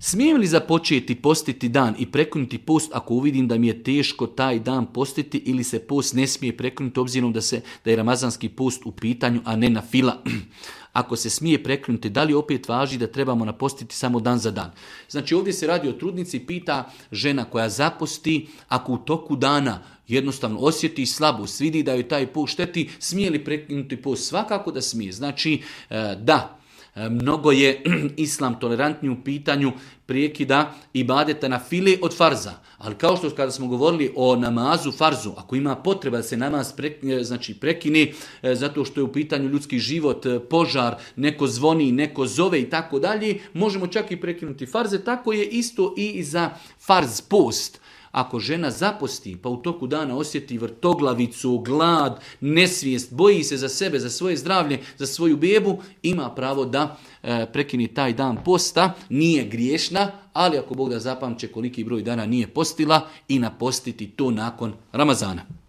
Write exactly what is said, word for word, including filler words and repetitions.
Smijem li započeti postiti dan i prekinuti post ako uvidim da mi je teško taj dan postiti ili se post ne smije prekinuti obzirom da, se, da je ramazanski post u pitanju, a ne na fila? Ako se smije prekinuti, da li opet važi da trebamo napostiti samo dan za dan? Znači ovdje se radi o trudnici, pita žena koja zaposti, ako u toku dana jednostavno osjeti slabost, vidi da joj taj post šteti, smije li prekinuti post? Svakako da smije. Znači da, mnogo je islam tolerantni u pitanju prekida ibadeta na file od farza. Ali kao što kada smo govorili o namazu farzu, ako ima potreba da se namaz prekine, znači prekine zato što je u pitanju ljudski život, požar, neko zvoni, neko zove i tako dalje, možemo čak i prekinuti farze. Tako je isto i za farz post. Ako žena zaposti pa u toku dana osjeti vrtoglavicu, glad, nesvijest, boji se za sebe, za svoje zdravlje, za svoju bebu, ima pravo da e, prekini taj dan posta, nije griješna, ali ako Bog da zapamće koliki broj dana nije postila i napostiti to nakon Ramazana.